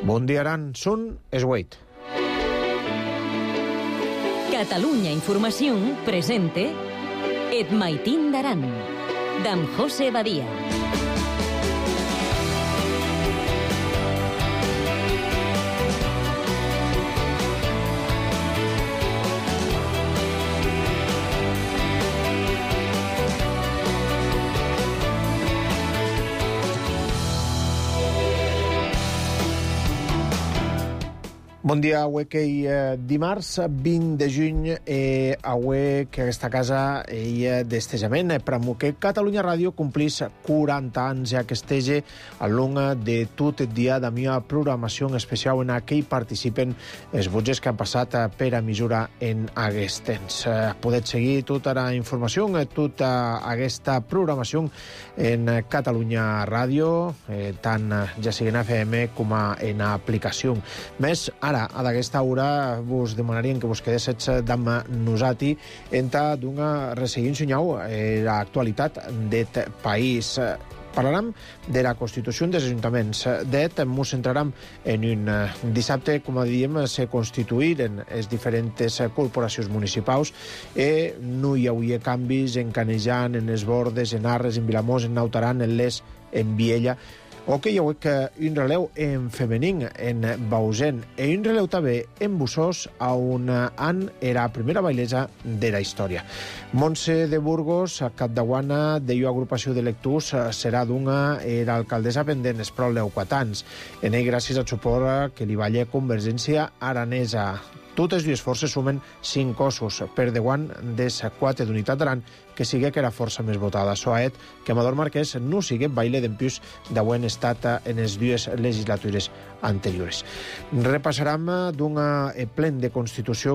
Bon dia, Aran. Són Esweit. Catalunya Información presente Et Maitín d'Aran, d'en José Badia. Bon dia, avui que dimarts 20 de juny, avui que aquesta casa d'estejament, però que Catalunya Ràdio complís 40 anys ja que estege al long de tot el dia de meva programació especial en què hi participen els botges que han passat per a mesura en aquest temps. Podeu seguir tota la informació, tota aquesta programació en Catalunya Ràdio, tant ja sigui en FM com en aplicació. Més, ara, a d'aquesta hora vos demanaríem que vos quedéssiu amb nosati enta d'una resseguint soñau l'actualitat d'aquest país. Parlarem de la Constitució dels Ajuntaments. D'et mos centrarem en un dissabte, com diem, se constituïren les diferents corporacions municipals i no hi hauria canvis en Canejan, en les Bordes, en Arres, en Vilamós, en Nautaran, en Les, en Viella. O que hi ha un relleu en femení, en Bausen, i un relleu també en Bussós, on era la primera bailesa de la història. Montse de Burgos, capdaguana de l'agrupació de lectors, serà d'una era alcaldessa pendent els prou 4 anys. En ell, gràcies al suport que li valla Convergència Aranesa. Totes dues forces sumen 5 cossos per deguant des 4 d'Unitat d'Aran, que sigui que era força més votada. Soaet que Amador Marquès no sigui baile d'empius d'avui estat en les dues legislatures anteriors. Repassarem d'un plen de Constitució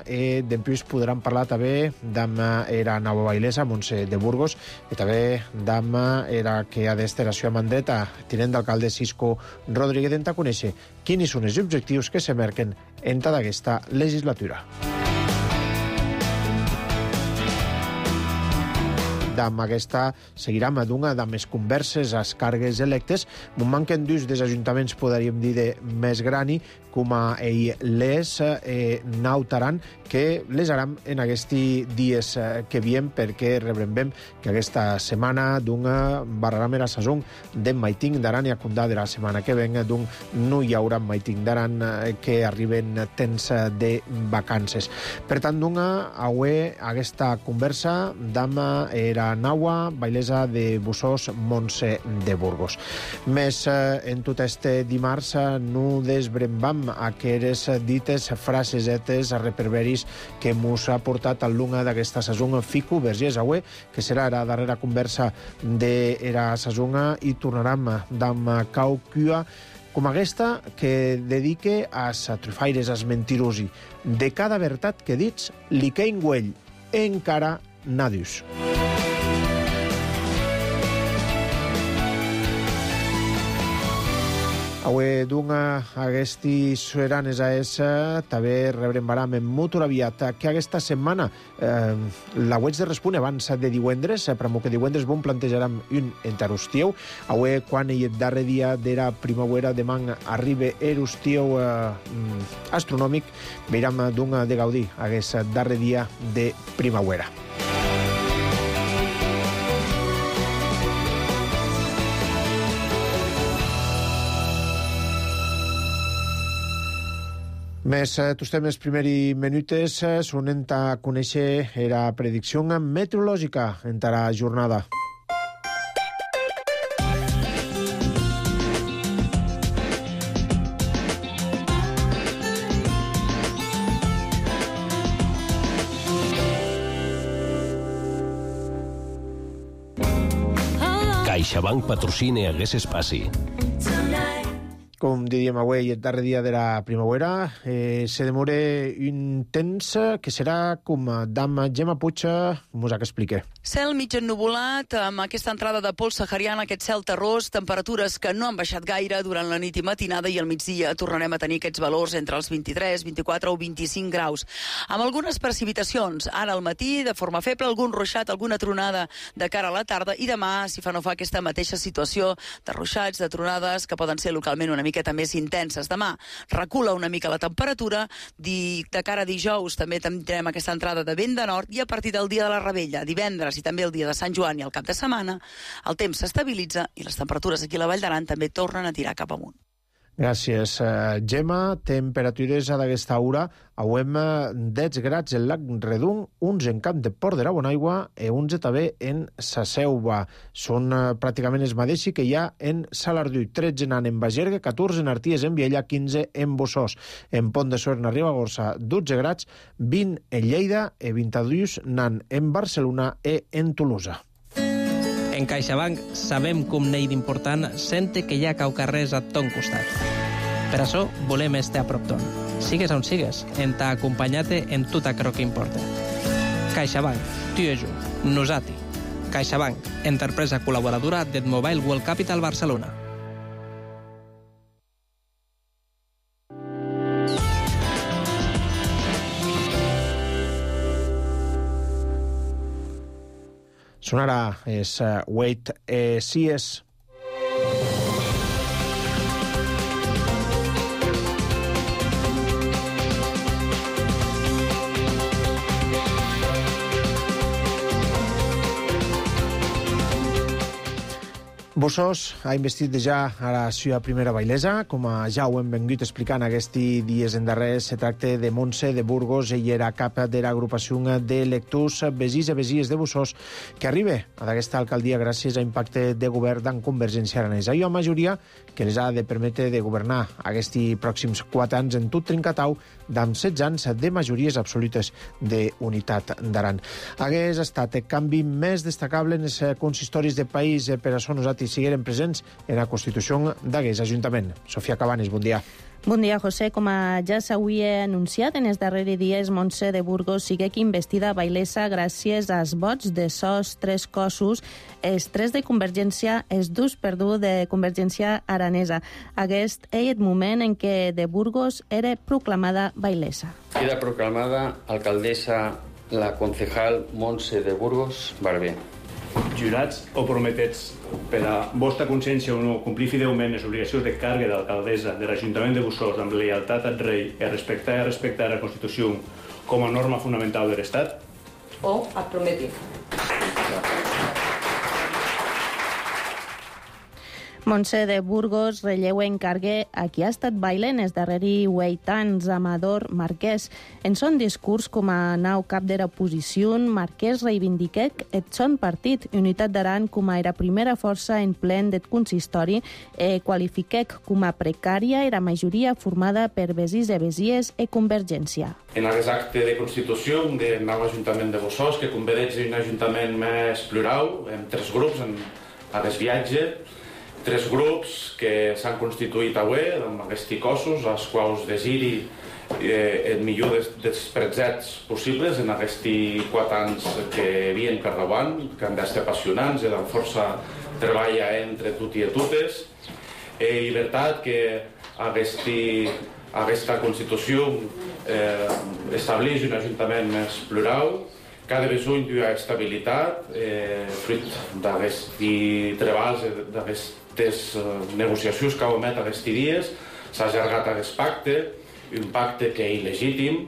i d'empius podran parlar també d'amb era nova bailesa, Montse de Burgos, i també d'amb era que ha d'estar a Ciutat Mandeta, tinent d'alcalde Cisco Rodríguez, d'enta conèixer quins són els objectius que se marquen en tota aquesta legislatura. Amb aquesta seguirem d'una de més converses als càrregues electes. M'ho manquen dos dels ajuntaments, podríem dir, de més grani, com a Les, Nautaran, que les haram en aquests dies que viem, perquè rebrem que aquesta setmana d'una barraram era sazón de Maitín d'Aran i a Condà de la setmana que ven d'un no hi haurà Maitín d'Aran que arriben temps de vacances. Per tant, d'una avui aquesta conversa d'ama era Naua, bailesa de Bussós, Montse de Burgos. Més en tot este dimarts no desbrembam aqueres dites frasesetes reperberis que mos ha portat al lunga d'aquesta sazonga Fico Vergés avui, que serà la darrera conversa de la sazonga i tornarem d'amb Caucua com aquesta que dedique als trufaires, als mentirosi. De cada veritat que dits, li quein güell, encara nadius. Avui d'una aquesti seran es també rebrem baram en molt aviat que aquesta setmana la web de Respune abans de divendres, però que divendres bon plantejarem un enterostiu. Avui quan el darrer dia de la primavera demà arriba erostiu astronòmic, veurem d'una de gaudir aquest darrer dia de primavera. Més tots temes primers minutes sonen a conèixer la predicció meteorològica en la jornada. CaixaBank patrocina aquest espai. Com diríem avui, el darrer dia de la primavera, se demora un temps que serà com d'amb Gemma Puig, mos ha que explique. Cel mig ennuvolat, amb aquesta entrada de pols sahariana, aquest cel terrós, temperatures que no han baixat gaire durant la nit i matinada, i al migdia tornarem a tenir aquests valors entre els 23, 24 o 25 graus. Amb algunes precipitacions, ara al matí, de forma feble, algun ruixat, alguna tronada de cara a la tarda, i demà, si fa no fa, aquesta mateixa situació de ruixats, de tronades, que poden ser localment una miqueta més intenses. Demà recula una mica la temperatura, de cara a dijous també tindrem aquesta entrada de vent de nord, i a partir del dia de la Rebella, divendres i també el dia de Sant Joan i el cap de setmana, el temps s'estabilitza i les temperatures aquí a la Vall d'Aran també tornen a tirar cap amunt. Gràcies, Gemma. Temperatures a d'aquesta hora. Auem 10 grads en Lac Redung, uns en Camp de Port de la Bonaigua i uns també en Sa Selva. Són pràcticament els mateixos que hi ha en Salardú. 13 en Bagergue, 14 en Arties, en Viella, 15 en Bossós. En Pont de Suert, a Ribagorça, 12 grads, 20 en Lleida i 22 en Barcelona i en Tolosa. En CaixaBank sabem com n'hi d'important sente que hi ha caucarrers a ton costat. Per això volem estar a prop ton. Sigues on sigues, en t'ha acompanyat en tot aquello que importa. CaixaBank, tu i jo, nosati. CaixaBank, empresa col·laboradora del Mobile World Capital Barcelona. Sonarà és Wait Sees. Bossós ha investit ja a la seva primera bailesa. Com ja ho hem vingut explicant aquests dies endarrers, se tracta de Montse de Burgos. Ella era cap de l'agrupació de lectors Besís i Besies de Bossós, que arriba a aquesta alcaldia gràcies a impacte de govern d'en Convergència Aranesa. Hi ha majoria que les ha de permetre de governar aquests pròxims 4 anys en tot Trincatau, d'amb 16 anys de majories absolutes d'unitat d'Aran. Hagués estat el canvi més destacable en els consistoris de país, per això nosaltres sigueren presents en la Constitució d'Agués Ajuntament. Sofia Cabanes, bon dia. Bon dia, José. Com ja s'havia anunciat en els darrers dies, Montse de Burgos sigue investida bailesa gràcies als vots de sos 3 cossos, els 3 de Convergència, els 2 de Convergència Aranesa. Aquest és el moment en què de Burgos era proclamada bailesa. Queda proclamada alcaldessa la concejal Montse de Burgos Barber. Jurats o prometets, per a vostra consciència o no, complir fidelment les obligacions de càrrega d'alcaldessa de l'Ajuntament de Bossós amb lleialtat al rei i respectar la Constitució com a norma fonamental de l'Estat? O et prometi. Montse de Burgos relleu encargue a qui ha estat bailant els darrers 8 anys, Amador Marquès. En son discurs com a nou cap de l'oposició, Marquès reivindiquec el son partit, Unitat d'Aran, com a la primera força en plen del consistori, qualifiquec com a precària la majoria formada per Besís i Besies i Convergència. En aquest acte de Constitució del nou Ajuntament de Bossós, que convereix un ajuntament més plural, amb 3 grups en aquest viatge, 3 grups que s'han constituït avui amb aquests cossos, als quals desiri el millor dels presets possibles en aquests 4 anys que havien per davant, que han d'estar apassionants i amb força treballa entre tot i totes. Llibertat que aquesta Constitució estableix un ajuntament més plural, cada bisogno di estabilitat, fruit d'aquests treballs, d'aquestes negociacions que hem fet aquests dies, s'ha allargat aquest pacte, un pacte que és il·legítim,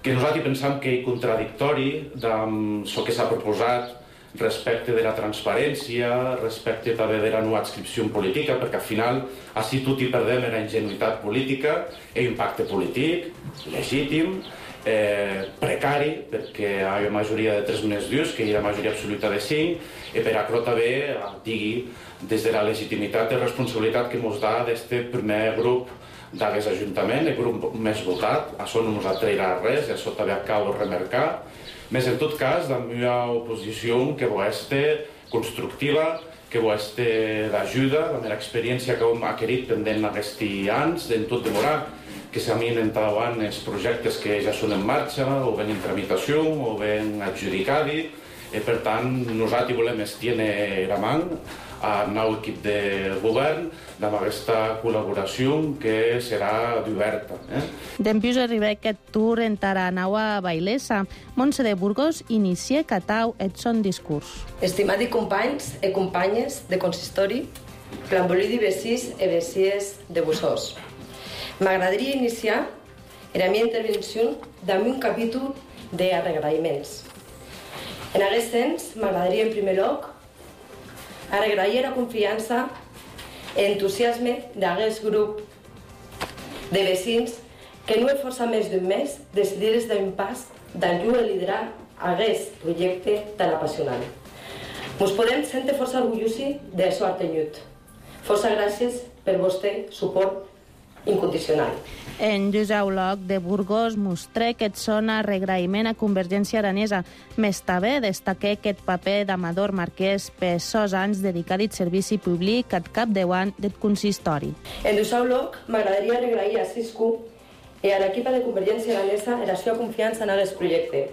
que nosaltres pensem que és contradictori amb el que s'ha proposat respecte de la transparència, respecte també de la no adscripció política, perquè al final així tot hi perdem en la ingenuïtat política, és un pacte polític, legítim, precari, perquè hi ha majoria de 3 més 2, que hi ha majoria absoluta de 5, i per això també digui des de la legitimitat i responsabilitat que ens dà d'aquest primer grup d'aquest Ajuntament, el grup més votat. Això no ens atrairà res, i això també acabo de remarcar. Més en tot cas, la meva oposició que va ser constructiva, que va ser d'ajuda, la meva experiència que hem adquirit pendent aquests anys, en tot demorar, que s'aminen endavant els projectes que ja són en marxa, o ben en tramitació, o ben adjudicats, Per tant, nosaltres volem estendre la mà al nou equip de govern amb aquesta col·laboració que serà oberta. Dempius arriba aquest tour entara naua bailesa. Montse de Burgos inicia catau et son discurs. Estimats companys i companyes de consistori, planbolí vecins i vecies de Busós. M'agradaria iniciar la meva intervenció amb un capítol d'agraïments. En aquest sens, m'agradaria en primer lloc agrair la confiança i entusiasme d'aquest grup de vecins que no és força més d'un mes decidir d'un pas d'ajudar a liderar aquest projecte tan apassionant. Ens podem sentir força orgullosos d'això artenyut. Força gràcies per vostre suport incondicional. En Josep Loc de Burgos mostré que et sona regraïment a Convergència Aranesa. Més també destaqué aquest paper d'Amador Marquès per sos anys dedicat al servici públic al capdavant del consistori. En Josep Loc m'agradaria agrair a Cisco i a l'equip de Convergència Aranesa la seva confiança en aquest projecte.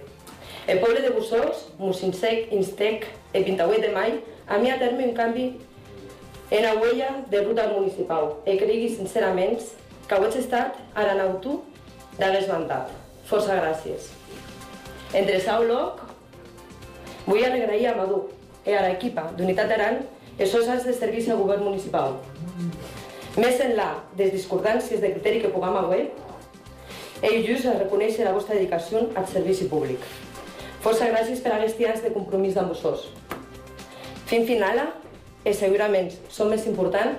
El poble de Busós, Musinsec, Instec i 28 de maig, a mi a terme un canvi en la huella de ruta municipal i cregui sincerament que ho he estat a l'anautu d'aquest mandat. Força gràcies. Entre Sau Loc, vull agrair a Madu i a l'equipa d'Unitat Aran els seus anys de servici al govern municipal. Més enllà de les discordàncies de criteri que puguem haver, ells reconeixen la vostra dedicació al servici públic. Força gràcies per aquests anys de compromís amb vosaltres. Fin finala, i segurament som més important,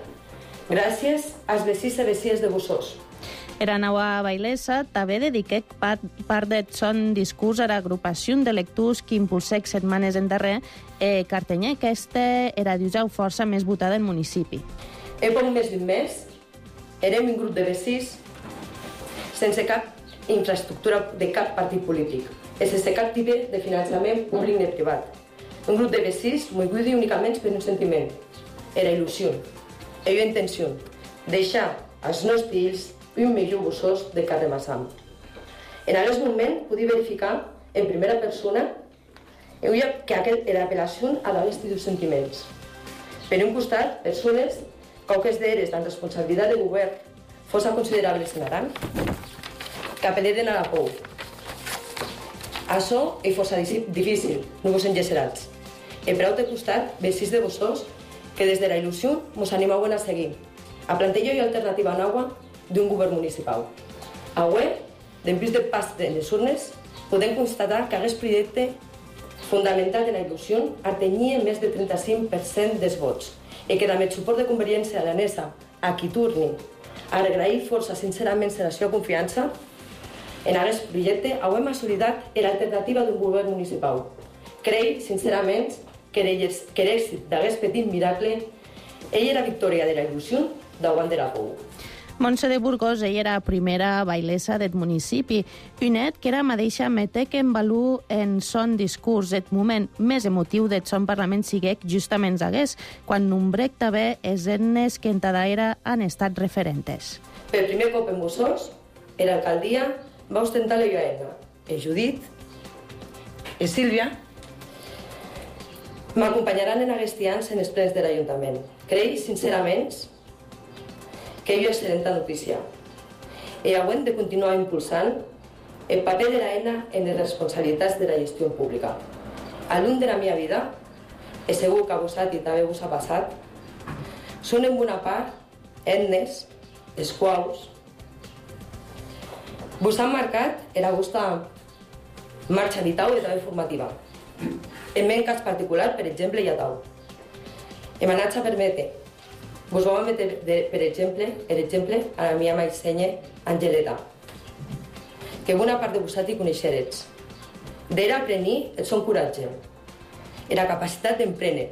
gràcies als vecins i vecines de Busós. Era naua bailesa també dediqué part del son discurs a l'agrupació de lectors que impulsèc setmanes endarrer i cartenyer que era d'usar força més votada del municipi. En poc més d'un mes, érem un grup de vecins sense cap infraestructura de cap partit polític i sense cap tipus de finançament públic ni privat. Un grup de vecins moguts únicament per un sentiment. Era il·lusió, era intenció, deixar als nostres fills un millor Busós de carrer Massam. En aquest moment podia verificar en primera persona que era apel·lació a d'aquests dos sentiments. Per un costat, persones que aquestes d'eres amb responsabilitat de govern fossin considerables en Aran, que apel·leren a la por. Això és força difícil, no vos engecerats. I per altre costat, vecins de Busós, que des de la il·lusió ens animaven a seguir, a plantejar una alternativa nova d'un govern municipal. Avui, després del pas de les urnes, podem constatar que aquest projecte, fundamentat en la il·lusió, atenia més del 35% dels vots i que amb el suport de Convergència Aranesa, a qui torni a agrair força sincerament la seva confiança, en aquest projecte avui hem assolidat l'alternativa d'un govern municipal. Crec, sincerament, que l'èxit d'aquest petit miracle ella era victòria de la il·lusió davant de la por. Montse de Burgos, ella era la primera bailesa del municipi, un net que era mateixa metec en valor en son discurs. El moment més emotiu del son parlament siguec justament hagués, quan nombrec també els etnes que en tada era han estat referentes. Per primer cop en Busós, l'alcaldia va ostentar la Joaena, Judit i Sílvia, m'acompanyaran en aquests anys en els plens de l'Ajuntament. Crec, sincerament, que és una excel·lent notícia. I hem de continuar impulsant el paper de l'ENA en les responsabilitats de la gestió pública. A l'un de la meva vida, i segur que a vosaltres també us ha passat, són en bona part etnes, els quals vos han marcat la vostra marxa vital i també formativa. En meu cas particular, per exemple, hi ha tau. Em anat a permetre. Vos vam metre, per exemple, a la meva maissenya Angeleta, que bona part de vosaltres coneixerets. D'era aprenir el son coratge, era capacitat d'emprendre,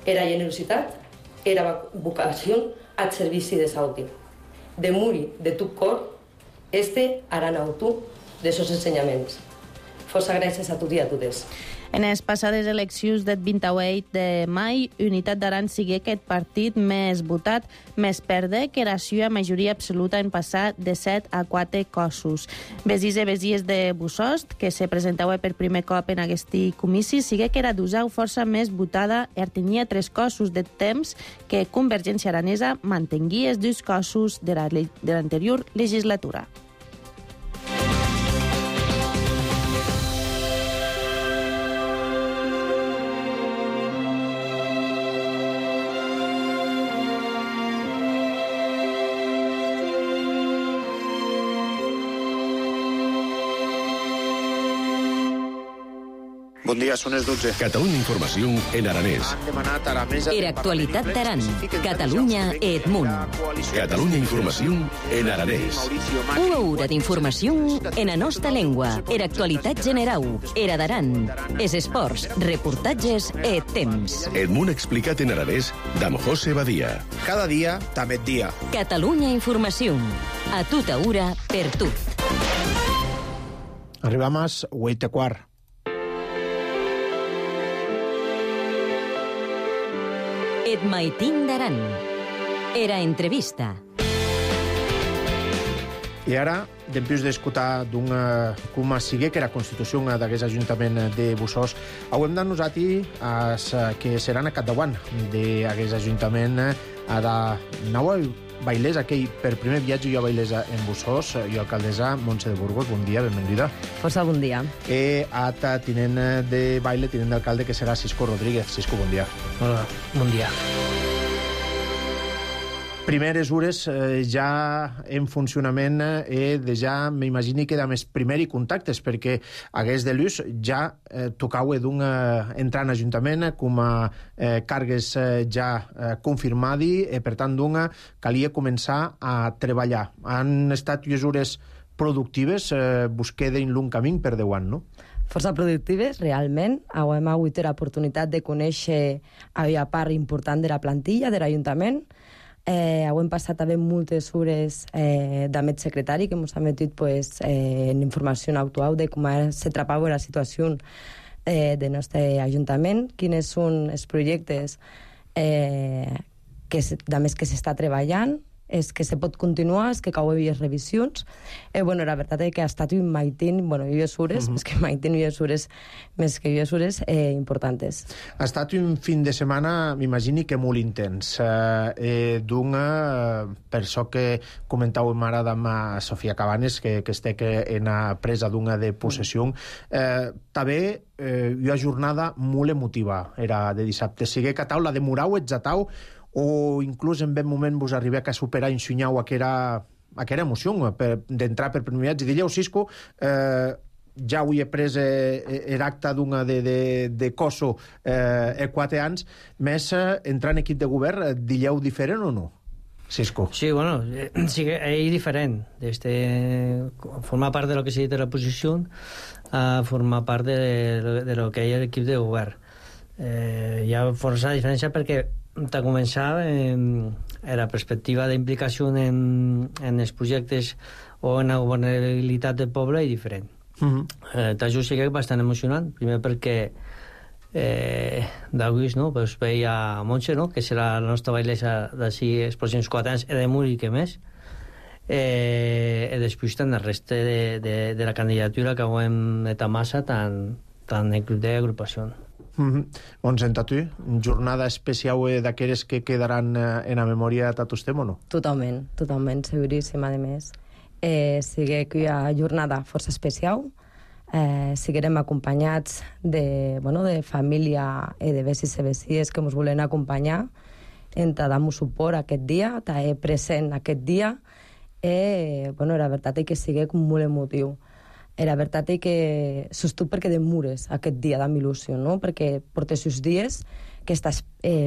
era generositat, era vocació al servici de Sauti. De morir de tot cor, este aranautu de sos ensenyaments. Força gràcies a tots i a totes. En les passades eleccions del 28 de maig, Unitat d'Aran sigui aquest partit més votat, més perde que la seva majoria absoluta en passar de 7 a 4 cossos. Besís i besies de Bussost, que se presentava per primer cop en aquest comici, sigui que era d'usau força més votada i tenia 3 cossos de temps que Convergència Aranesa mantingui els 2 cossos de l'anterior legislatura. Bon dia, són les 12. Catalunya Informació en aranès. Han demanat a la mesa... Era actualitat d'Aran. Catalunya Edmunt. Catalunya Informació en aranès. Una hora d'informació en la nostra llengua. Era actualitat generau. Era d'Aran. Es esports, reportatges e temps. Edmunt explicat en aranès d'Am José Badia. Cada dia, també dia. Catalunya Informació. A tota hora, per tot. Arribam a 8:15. Et maitin d'Aran. Era entrevista. I ara, dempués d'escoltar com sigui que la Constitució d'aquest Ajuntament de Bussost, hauem de nosaltres que seran a capdavant d'aquest Ajuntament a la nova bailesa, aquell per primer viatge jo a bailesa en Bussost, jo alcaldessa Montse de Burgos, bon dia, benvinguda. Força bon dia. Ata tinent de baile, tinent d'alcalde, que serà Cisco Rodríguez. Cisco, bon dia. Hola, bon dia. Primeres hores ja en funcionament ja m'imagini que més primers contactes, perquè hagués de l'ús ja tocau entrar en Ajuntament com a càrregues ja confirmadi, per tant calia començar a treballar. Han estat unes hores productives, busqué d'un long camí per 10 anys, no? Força productives, realment. Hem hagut l'oportunitat de conèixer a part important de la plantilla de l'Ajuntament. Hem passat també moltes hores d'Amet secretari que ens ha metit en informació actual de com se trapava la situació del nostre Ajuntament, quins són els projectes que s'està treballant, és que se pot continuar, és que cau havia revisions. La veritat és que ha estat un maitin, unes hores, més que maitin, unes hores importants. Ha estat un fin de setmana, m'imagini que molt intens. Per això que comentàvem ara amb Sofia Cabanes, que estic en la presa de possessió, també una jornada molt emotiva, era de dissabte. Sigue que la demorau, exatau, o inclús en ben moment vos arribeu a superar i ensunyau aquella emoció d'entrar per primer viatge. Dilleu, Cisco, ja avui he pres l'acte de Coso 4 anys, més entrar en equip de govern, dilleu diferent o no? Cisco. Sí, bueno, sí que és diferent. Formar part de lo que s'ha dit de la posició a formar part de lo que hi ha l'equip de govern. Hi ha força diferència perquè de començar la perspectiva d'implicació en els projectes o en la governabilitat del poble és diferent. Això sí que és bastant emocionant, primer perquè d'avui veia Montse, que serà la nostra bailesa d'ací els pròxims 4 anys, de molt i que més, i després tant el reste de la candidatura que hem de massa tant d'agrupació. On senta tu? Jornada especial d'aquelles que quedaran en la memòria de vostè o no? Totalment, seguríssim, a més. Sigue que hi ha jornada força especial, seguirem acompanyats de família i de besis i besies que ens volen acompanyar, dar-nos suport aquest dia, estar present aquest dia, la veritat és que sigue molt emotiu. La veritat és que sostud perquè demures aquest dia d'amb il·lusió, no? Perquè portes uns dies que estàs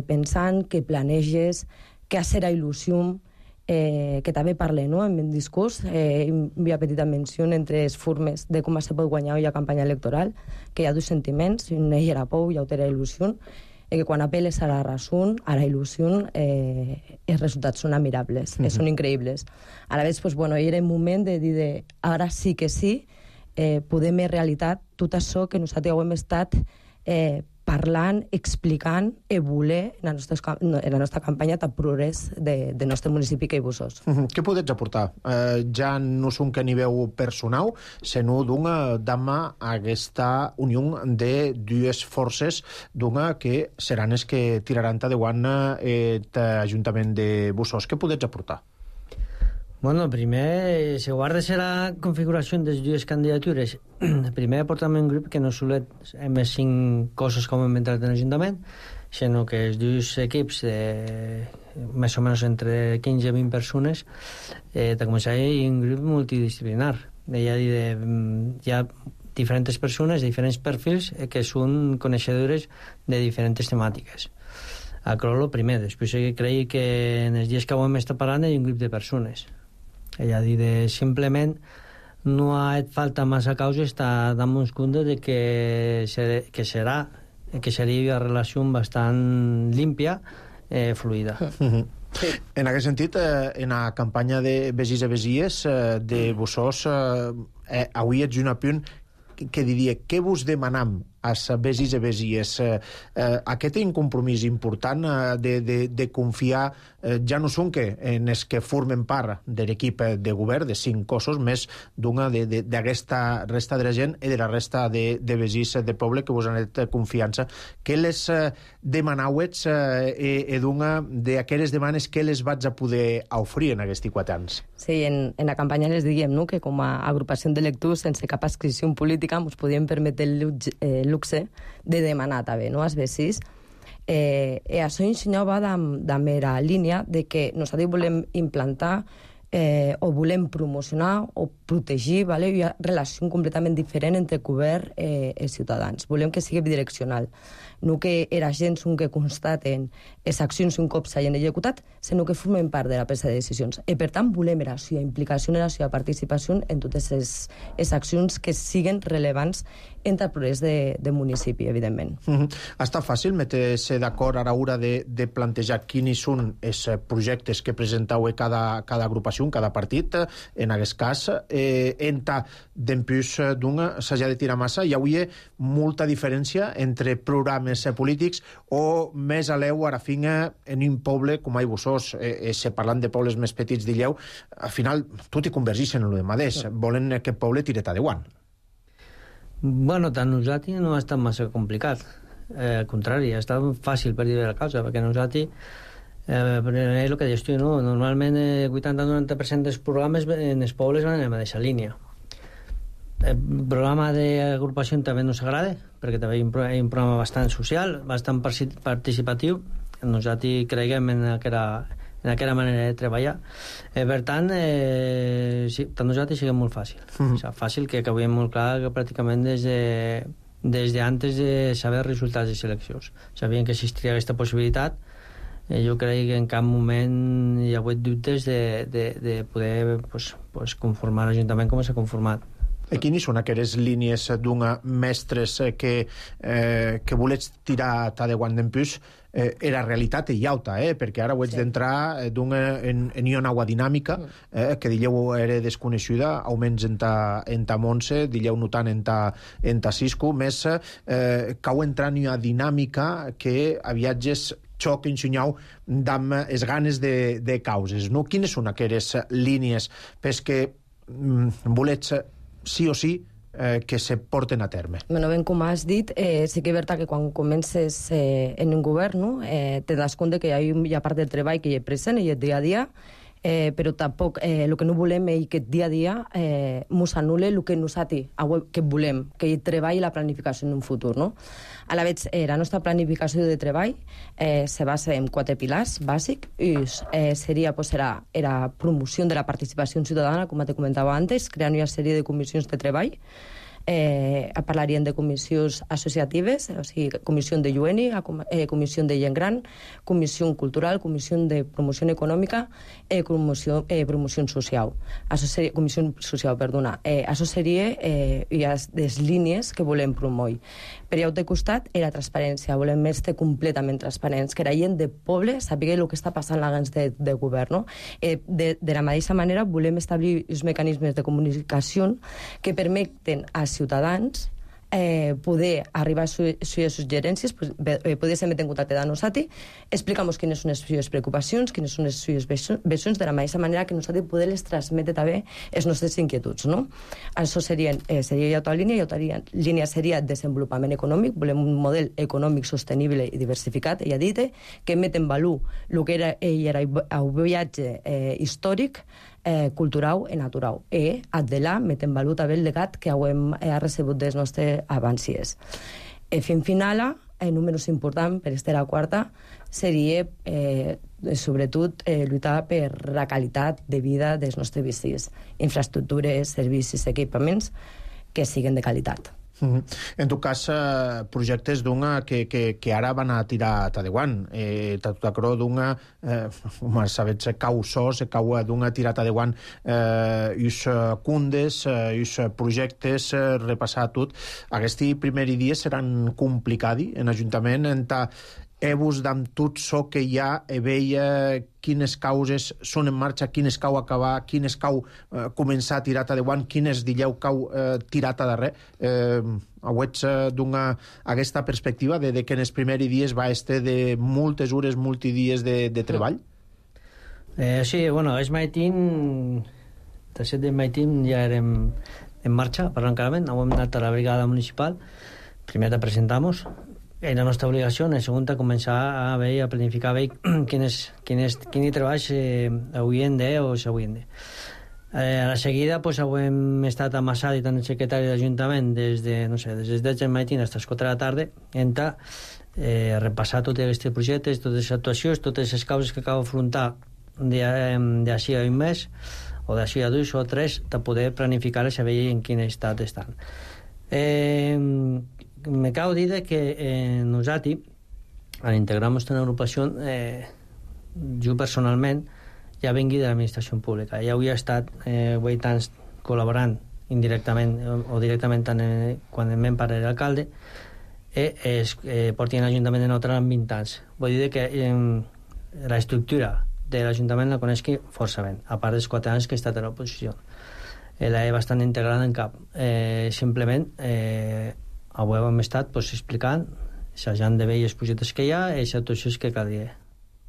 pensant, que planeges, que has la il·lusió, que també parle, no? En el discurs, una petita menció entre les formes de com se pot guanyar la campanya electoral, que hi ha dos sentiments, un és la por i l'altre la il·lusió, i que quan apel·les a la raó, a la il·lusió, els resultats són admirables, són increïbles. A la vegada, era el moment de dir, ara sí que sí, podem fer realitat tot això que nosaltres hem estat parlant, explicant i voler en la nostra campanya de progrés del nostre municipi que hi Bussos. Què podets aportar? Ja no són que niveu personal, sinó d'ama aquesta unió de dues forces que seran les que tiraran endavant l'Ajuntament de Bussos. Què podets aportar? Bueno, primer, si guarda la configuració de les dues candidatures, primer portem un grup que no solet més 5 coses com hem entrat en l'Ajuntament, sinó que els dos equips més o menys entre 15 i 20 persones de començar un grup multidisciplinar. Hi ha diferents persones de diferents perfils que són coneixedores de diferents temàtiques. Això és el primer. Després crec que en els dies que ho hem estat parlant hi ha un grup de persones. És a dir, simplement no ha fet falta massa causa estar dant-nos compte de que seria una relació bastant límpia, fluida. Sí. En aquest sentit, en la campanya de Besís i Besies de Bussos, avui ets un apunt que diria, què vos demanam a Besís i Besies? Aquest és un compromís important de confiar, ja no són en els que formen part de l'equip de govern, de 5 cossos, més d'aquesta resta de la gent i de la resta de Besís de poble que vos han fet confiança. Què les demanauets i d'aquelles demanes que les vaig a poder oferir en aquests 4 anys? Sí, en la campanya les diguem que com a agrupació d'electors sense cap adscripció política ens podíem permetre el luxe de demanar també, als Besís. Això ensenyava de la línia de que nosaltres volem implantar o volem promocionar o protegir una relació completament diferent entre govern i ciutadans. Volem que sigui bidireccional. No que era gent que constaten les accions un cop s'hagin executat, sinó que formen part de la presa de decisions. I per tant volem la seva implicació i la seva participació en totes les accions que siguen rellevants entre el progrés de municipi, evidentment. Ha estat fàcil metre-se d'acord a l'hora de plantejar quins són els projectes que presenteu cada agrupació, cada partit, en aquest cas, entre d'empús s'hagi de tirar massa. Hi hauria molta diferència entre programes polítics o més a l'eu ara finga en un poble com a Bussos, parlant de pobles més petits d'Illeu, al final tot hi convergeix en el mateix. Volen que el poble tire endavant. Bueno, tant nosaltres no ha estat massa complicat. Al contrari, ha estat fàcil per dir la causa, perquè nosaltres és el que dius tu, no? Normalment 80-90% dels programes en els pobles van en la mateixa línia. El programa d'agrupació també ens agrada, perquè també hi ha un programa bastant social, bastant participatiu. Nosaltres creiem en aquella manera de treballar. Per tant, sí, per nosaltres sigui molt fàcil. Fàcil que veiem molt clar que pràcticament des d'antes de saber els resultats de les eleccions. Sabien que existiria aquesta possibilitat. Jo crec que en cap moment hi ha hagut dubtes de poder conformar l'Ajuntament com s'ha conformat. I quines són aquelles línies d'una mestres que volets tirar endavant d'empús? Era realitat i alta, perquè ara ho ets d'entrar en una nova dinàmica que dilleu era desconeixuda, almenys en ta Montse, dilleu no tant en ta Cisco, més cau entrar en una dinàmica que a viatges xoc ensenyau amb les ganes de causes, no? Quines són aquelles línies que volets sí o sí que se porten a terme? Bueno, ben com has dit, sí que és veritat que quan comences en un govern te das compte que hi ha part del treball que hi és present i és dia a dia, però tampoc el que no volem és que dia a dia mos anul·le el que nosaltres que volem, que hi treballi la planificació en un futur, no? A la vegada, la nostra planificació de treball se basa en 4 pilars bàsics. Seria la promoció de la participació ciutadana, com te comentava antes, creant una sèrie de comissions de treball. Parlaríem de comissions associatives, o sigui, comissió de Llueni, comissió de gent gran, comissió cultural, comissió de promoció econòmica, promoció social. Comissió social, perdona. Això seria les línies que volem promoure. Per altre costat, la transparència. Volem més completament transparents, que la gent de poble sàpiga el que està passant abans de govern. De la mateixa manera, volem establir els mecanismes de comunicació que permeten als ciutadans poder arribar a les suggerències, poder ser met en contacte amb nosaltres, explicamos quines són les seves preocupacions, quines són les seves visions, de la mateixa manera que nosaltres poder les transmetre també les nostres inquietuds, no? Això seria altra línia, i altra línia seria desenvolupament econòmic. Volem un model econòmic sostenible i diversificat, ella ha dit, que met en valor el que era el viatge històric, cultural i natural. I, adela, met en valor també el legat que hem recebut dels nostres avancies. Fin finala, número important per estar a quarta, seria sobretot lluitar per la qualitat de vida dels nostres vicis, infraestructures, servicis, equipaments que siguin de qualitat. En tot cas, projectes d'una que ara van a tirar tadeuant. Tot acro d'una, sabets, cau sos, cau d'una tirar tadeuant us cundes, us projectes, repassar tot. Aquests primers dies seran complicadi en Ajuntament, vos d'amb tot so que hi ha, veia quines causes són en marxa, quines cau acabar, quines cau començar a tirar tadeuant, quines dilleu cau tirar a darrer. Auets aquesta perspectiva de que en els primers dies va estar de moltes hores, multidies de treball? Sí, bueno, el matin, de 7 de matin ja érem en marxa per l'encarament, hem anat a la brigada municipal, primer te presentamos. És la nostra obligació, en segunda, començar a veure, a planificar quins treballs haurien de o s'haurien de. A la seguida, pues, hem estat amassat tant el secretari d'Ajuntament des de, no sé, des de 10 del matí fins a les 4 de la tarda, repassar tots aquests projectes, totes les actuacions, totes les causes que acabo d'afrontar d'ací a un mes, o d'ací a 2 o 3, de poder planificar-les i veure en quin estat estan. Me cal dir que nosaltres, al integrar-nos en l'agrupació, jo personalment ja vengui de l'administració pública. Ja havia estat 8 anys col·laborant indirectament o directament quan em pare era alcalde, porti en l'Ajuntament de Neutral en 20 anys. Vull dir que l'estructura de l'Ajuntament la coneixi força bé, a part dels 4 anys que he estat a l'oposició. La he bastant integrada en cap. Simplement, avui hem estat explicant, assajant de veure els projectes que hi ha i les actuacions que cal dir.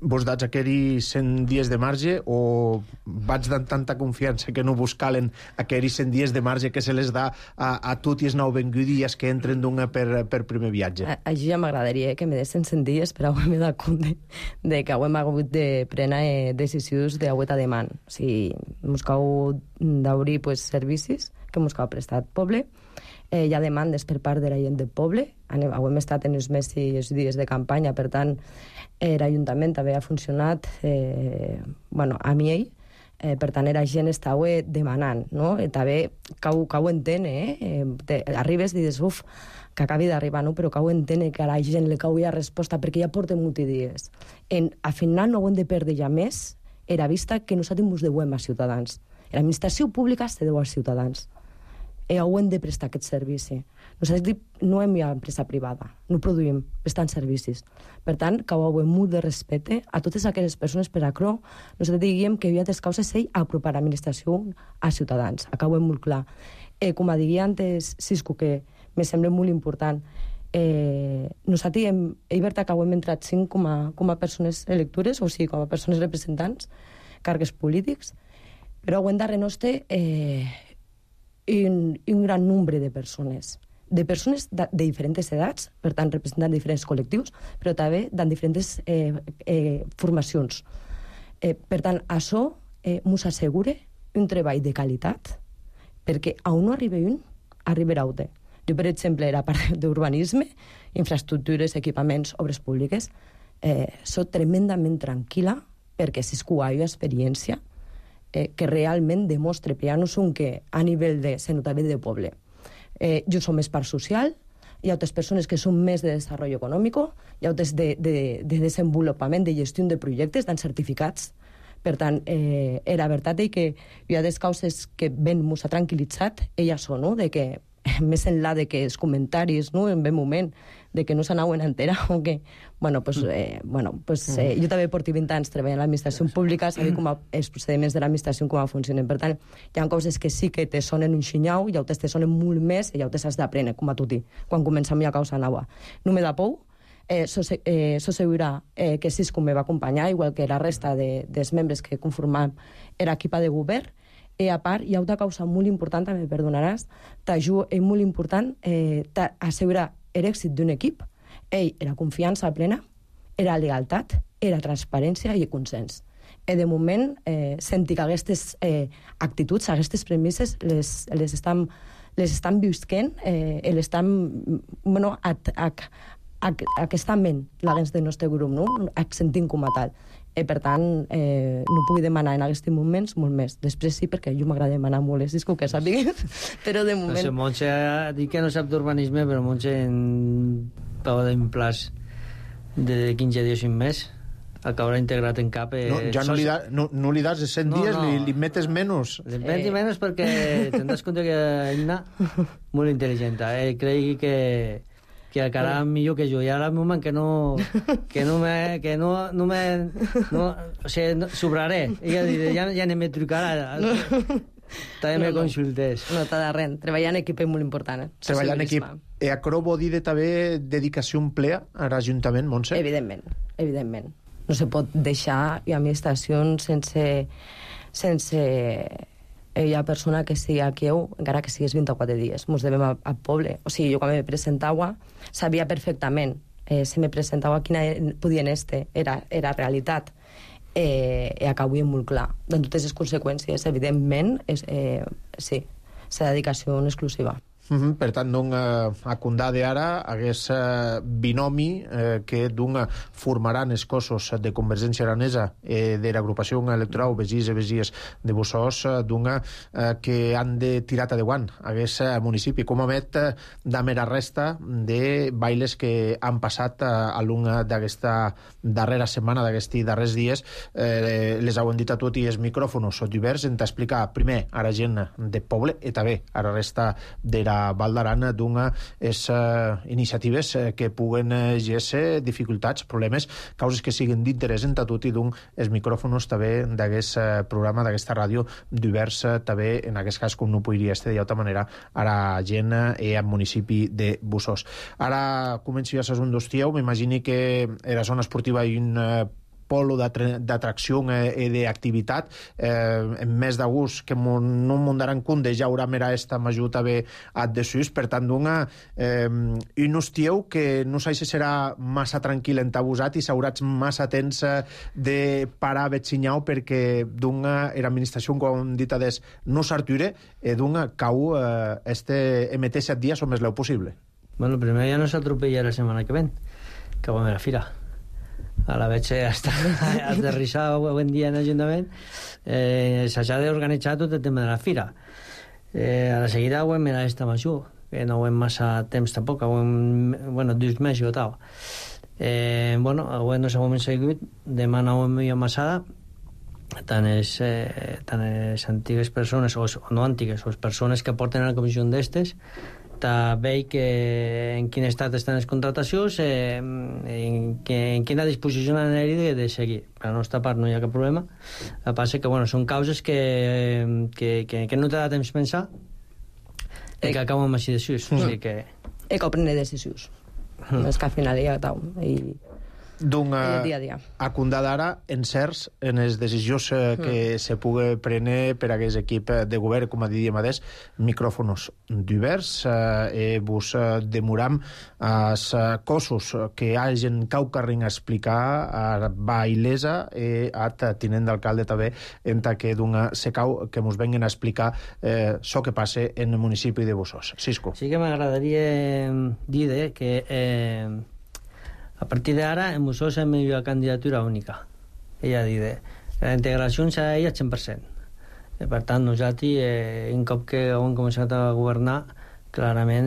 Vos dats aquells 100 dies de marge o vaig dant tanta confiança que no vos calen aquells 100 dies de marge que se les da a tots els nouvinguts que entren d'una per primer viatge? Això ja m'agradaria que me dessen 100 dies, però avui m'he dat compte de que avui hem hagut de prendre decisions d'avui a demà. O sigui, ens cal d'obrir servicis que ens cal prestat poble. Hi ha demandes per part de la gent del poble. Avui hem estat en els mesos dies de campanya, per tant, l'Ajuntament també ha funcionat a mi ell. Per tant, la gent estava demanant, no? També cau entén, arribes i dius, que acabi d'arribar, no? Però cau entén que a la gent li cau ja resposta, perquè ja porten multidies. Al final no ho hem de perdre ja més, era vista que nosaltres ens devem als ciutadans. L'administració pública se deu als ciutadans. Ho hem de prestar aquest servici. Nosaltres no hem empresa privada, no produïm, prestant servicis. Per tant, cau molt de respecte a totes aquelles persones per a cro. Nosaltres diguem que hi ha des causes apropar l'administració als ciutadans. Acabo molt clar. Com diria antes Cisco, que me sembla molt important, nosaltres he vist que hem entrat 5 com a persones electores, o sigui, com a persones representants, càrrecs polítics, però ho hem darrere nostre un gran nombre de persones de diferents edats, per tant, representant diferents col·lectius, però també de diferents formacions. Per tant, això ens assegura un treball de qualitat, perquè on no arriba un, arribarà un. Jo, per exemple, la part d'urbanisme, infraestructures, equipaments, obres públiques, soc tremendament tranquil·la, perquè si hi ha experiència que realment demostra, però ja no són que a nivell de senotament de poble. Jo som més part social, hi ha altres persones que són més de desenvolupament econòmic, hi ha altres de desenvolupament, de gestió de projectes, d'en certificats. Per tant, la veritat és que hi ha des causes que ben ens ha tranquil·litzat, elles són, no? De que més enllà de que els comentaris, no, en ben moment, de que no s'anaven a enterar o què. Jo també porto 20 anys treballant a l'administració pública, sabia com els procediments de l'administració com funcionen. Per tant, hi ha coses que sí que te sonen un xinyau i altres te sonen molt més i altres has d'aprendre, com a tu, quan comencem una causa nova. No me da por, s'assegurarà que Cisco me va acompanyar, igual que la resta dels membres que conformam l'equip de govern. A part, hi ha una causa molt important, també perdonaràs, és molt important assegurar l'èxit d'un equip, la confiança plena, la lealtat, la transparència i el consens. De moment, senti que aquestes actituds, aquestes premisses, les estan visquent, aquesta ment, la gens del nostre grup, no? Sentint com a tal. Per tant, no puc demanar en aquests moments molt més. Després sí, perquè jo m'agrada demanar molt, Cisco, que sàpigues, però de moment... No sé, Montse ha dit que no sap d'urbanisme, però Montse pau d'un plaç de 15 dies i un mes acabarà integrat en cap... Ja no li das de 100 dies, li metes menys. Li metes menys perquè te'n das compte que Inna molt intel·ligent. Cregui que acabarà millor que jo. I ara al moment que no sobraré. Ja ni me trucarà. També me consultés. No, t'ha de res. Treballar en equip és molt important. Treballar en equip. Acro vol dir també dedicació plena a l'Ajuntament, Montse? Evidentment. No se pot deixar administracions sense hi ha persona que sigui aquí, encara que sigués 24 dies. Ens devem al poble. O sigui, jo quan me presentava sabia perfectament si me presentava quina podien era realitat. Acabo molt clar. De totes les conseqüències, evidentment, sí, la dedicació exclusiva. Per tant, a Condade ara hagués binomi que formaran els cossos de Convergència Aranesa de l'agrupació electoral Begís i Begies de Bussós que han de tirar endavant hagués municipi, com a met de mera resta de bailes que han passat a l'una d'aquesta darrera setmana, d'aquests darrers dies. Les heu dit a tot i els micròfons oberts en t'explicar primer a la gent de poble i també a la resta de la Val d'Aran d'unes iniciatives que puguen ser dificultats, problemes, causes que siguin d'interès en tot i els micròfons també d'aquest programa, d'aquesta ràdio divers també, en aquest cas com no podria estar d'altra manera a la gent i al municipi de Bussós. Ara començo ja a ser un dostieu, m'imagini que a la zona esportiva hi ha un polo d'atracció i d'activitat en més d'agost que no m'ho daran compte ja haurà mera esta m'ajuda bé a desús, per tant un hostieu que no sé si serà massa tranquil entabusat i s'hauràs massa temps de parar a vetxinyau perquè l'administració com hem dit no s'arture cau MT 7 dies o més leu possible. Bueno, primer ja no s'atropella la setmana que ven, que vam a la fira. A la veig hasta aterrissar avui dia en l'Ajuntament, s'ha d'organitzar tot el tema de la fira. A la seguida ho hem mirat esta major, que no ho hem massa temps tampoc, ho hem, 2 mesos o tal. Avui no s'ho hem seguit, demà no ho hem millor massada, tant les antigues persones, o no antigues, o les persones que porten a la comissió d'estes, veig en quin estat estan les contratacions, en quina disposició han de seguir. Per la nostra part no hi ha cap problema. El que passa que són causes que no t'ha de temps pensar i que acaben amb així decisions. I que prendre decisions. És que al final hi ha tal. A Condade ara encerts en les decisions que se pugui prendre per a aquest equip de govern, com a diríem adés, micròfons divers, vos demoram els cossos que hagin caucarring a explicar a Bailesa i a tinent d'alcalde també en que se cau que mos venguin a explicar això que passa en el municipi de Bussós. Cisco. Sí que m'agradaria dir que a partir d'ara, en Bussós hem una candidatura única. Ella dit, la integració serà ella al 100%. Per tant, nosaltres, un cop que hem començat a governar, clarament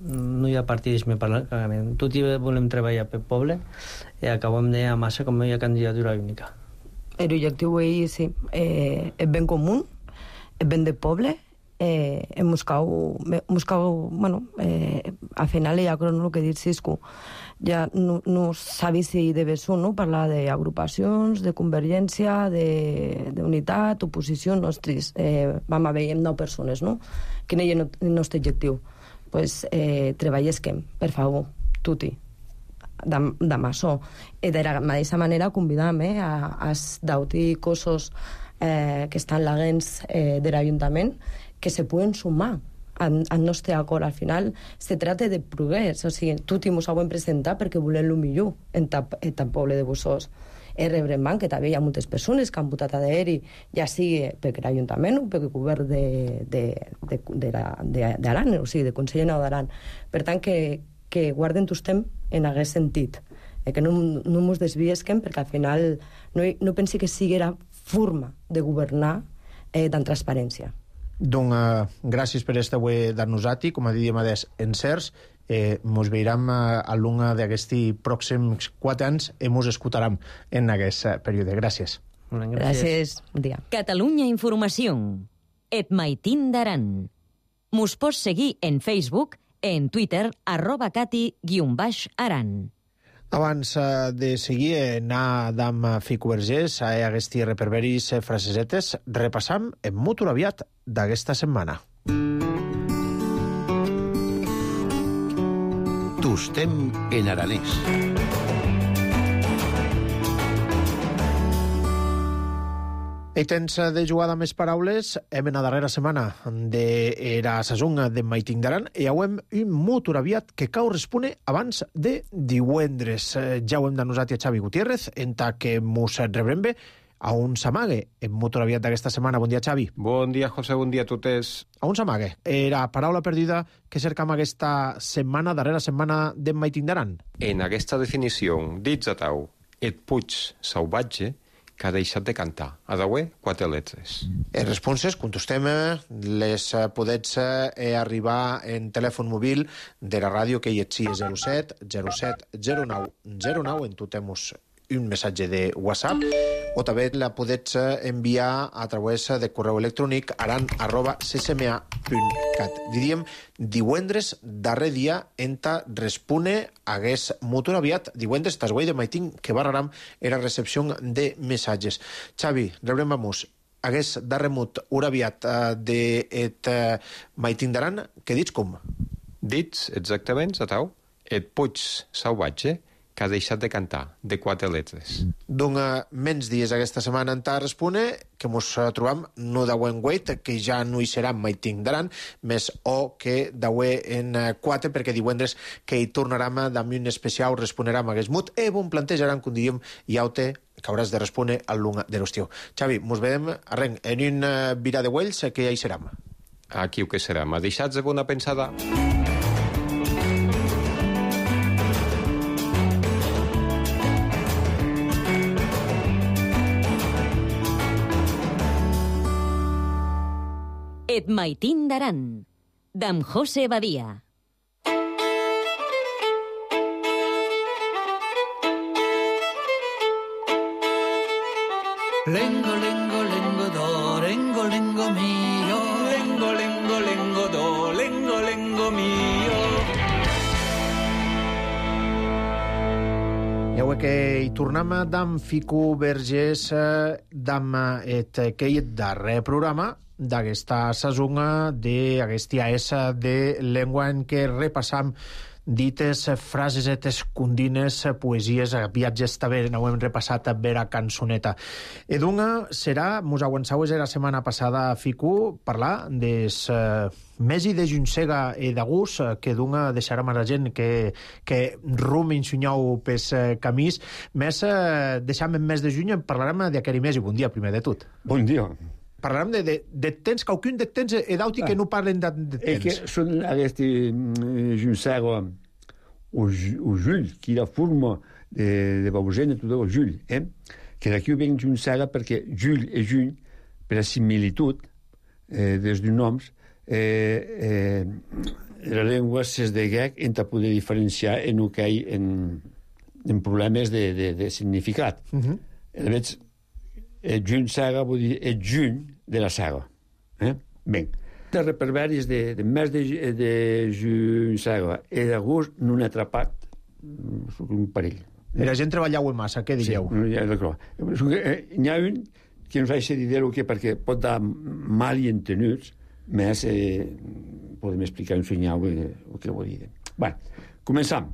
no hi ha partidisme, clarament. Tots volem treballar pel poble i acabem de massa com una candidatura única. L'objectiu sí, és ben comú, és ben de poble Moscou, al final hi ha el que diu Cisco, ja no sabi si de Bessó, no? Parlar d'agrupacions, de convergència, d'unitat, oposició, nostres. Vam haver 9 persones, no? Quin és el nostre objectiu? Pues treballesquem, per favor, tutti, demà so. I de la mateixa manera convidam als d'auti cossos que estan laguens de l'Ajuntament que se puguen sumar al nostre acord. Al final se trata de progrés, o sigui, tutti mos ho hem presentat perquè volem el millor en el poble de Bussos. Rebrem que també hi ha moltes persones que han votat a d'ahir, ja sigui perquè l'Ajuntament o perquè el govern d'Aran, o sigui, de Consell General d'Aran. Per tant, que guarden tot temps en aquest sentit, que no ens desviesquem, perquè al final no pensi que sigui la forma de governar amb transparència. Doncs gràcies per este avui dar-nos-ati, com a dèiem encerts. Mos veurem a l'una d'aquests pròxims 4 anys i mos escoltarem en aquest període. Gràcies. Gràcies. Bon dia. Catalunya Informació. Et maitin d'aran. Mos pots seguir en Facebook, en Twitter, @cati_aran. Abans de seguir, anar d'am Fico Vergés a aquests reperberis frasesetes, repassam en molt aviat d'aquesta setmana. Tostem en aranès. I tens de jugar amb més paraules, hem en la darrera setmana d'era sasung de Maiting d'Aran i hauem un molt aviat que correspone abans de divendres. Ja ho hem denosat a Xavi Gutiérrez, en ta que mos rebrem bé a un s'amague en molt aviat d'aquesta setmana. Bon dia, Xavi. Bon dia, José, bon dia a totes. A un s'amague. Era paraula perduda que cercam aquesta setmana, darrera setmana de Maiting d'Aran. En aquesta definició, dits a tau, et puig salvatge, que ha deixat de cantar. A daué, 4 lletres. Les responses, contestem, les podets arribar en telèfon mòbil de la ràdio que hi etxi 07 07 09 09, en tu temos un missatge de WhatsApp, o també la podets enviar a través de correu electrònic aran@ccma.cat. Diríem, divendres, darrer dia, enta respone hagués molt aviat, divendres, tas guai de Maiting, que barraram era recepció de missatges. Xavi, rebrem vamos, hagués darremut ura aviat de Maiting d'Aran, que dits com? Dits, exactament, a tau, et puig salvatge, que ha deixat de cantar, de 4 lletres. Doncs menys dies aquesta setmana en ta respone, que mos trobam no d'auè en 8, que ja no hi serà Maiting d'Aran, més o que d'auè en 4, perquè divendres que hi tornarem amb un especial, responerem a Gesmut, bon plantejaran, com diríem, i aute que hauràs de respondre al lunga de l'estiu. Xavi, mos vedem arrenc en un virà de Wells, que ja hi serem. Aquí ho que serà. M'ha deixat de bona pensada. Et maitin d'Aran, d'en José Badia. Lengo, lengo, lengo, do, lengo, lengo mio. Lengo, lengo, lengo, do, lengo, lengo mio. Ja ho que hi tornem d'en Fico Vergés, d'en aquest darrer programa, d'aquesta sasonga d'aquesta AES de llengua en què repassam dites, frasesetes, condines, poesies, viatges també ho hem repassat a vera cançoneta. Edunga serà, mos aguançaues la setmana passada, Fico, parlar des mesi de Junsega i d'Agús, que dunga deixarà a la gent que rum insunyau pes camís. Més, deixam en mes de juny, parlarem d'aquest mes i bon dia, primer de tot. Bon dia. Parlarem de temps, qualcun de temps e d'auti que no parlen de temps. Que són aquests Junsega o Jull, que la forma de Bausena, tot el Jull, que d'aquí ven Junsega perquè Jull i Juny, per la similitud dels dos noms, la llengua s'es de grec en ta poder diferenciar en el que hi en problemes de significat. A més, Juny Saga vol dir el juny de la saga. Ben, De reperberis de mes de juny i d'agost no n'he atrapat un parell. La gent treballeu massa, què dieu? Sí, d'acord. N'hi ha un que no sé si dir-ho perquè pot dar mal i entenuts, més podem explicar un senyal el que vol dir. Bé, començam.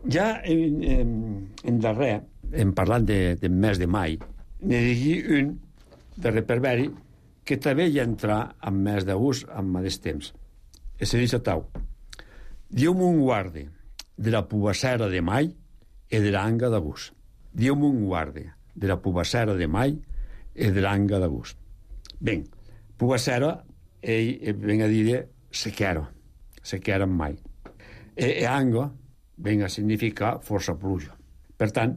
Ja en darrer, en parlant del mes de mai, n'he dit un de reperberi que també hi entra en mes d'agost en mateix temps. És a dir, Tau, diu-me un guarde de la pubassera de mai e de l'anga d'agost. Diu-me un guarde de la pubassera de mai e de l'anga d'agost. Ben, pubassera ven a dir sequera en mai. E anga ven a significar força pluja. Per tant,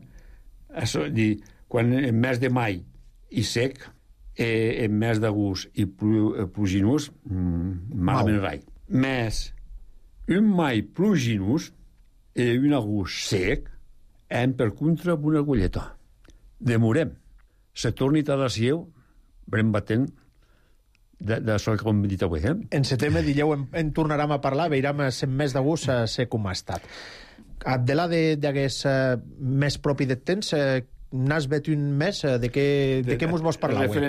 quan en mes de mai i sec, en mes d'agost i pluginós, malament rai. Més un mai pluginós i un agost sec hem per contra una agulleta. Demorem. Se torni a la sieu, brem batent de sol que hem dit avui. En setembre, dilleu, en tornarem a parlar, veurem en mes d'agost sé com ha estat. Abdelà d'aquest més propi de temps, n'has vet un mes? De què mos vols parlar avui?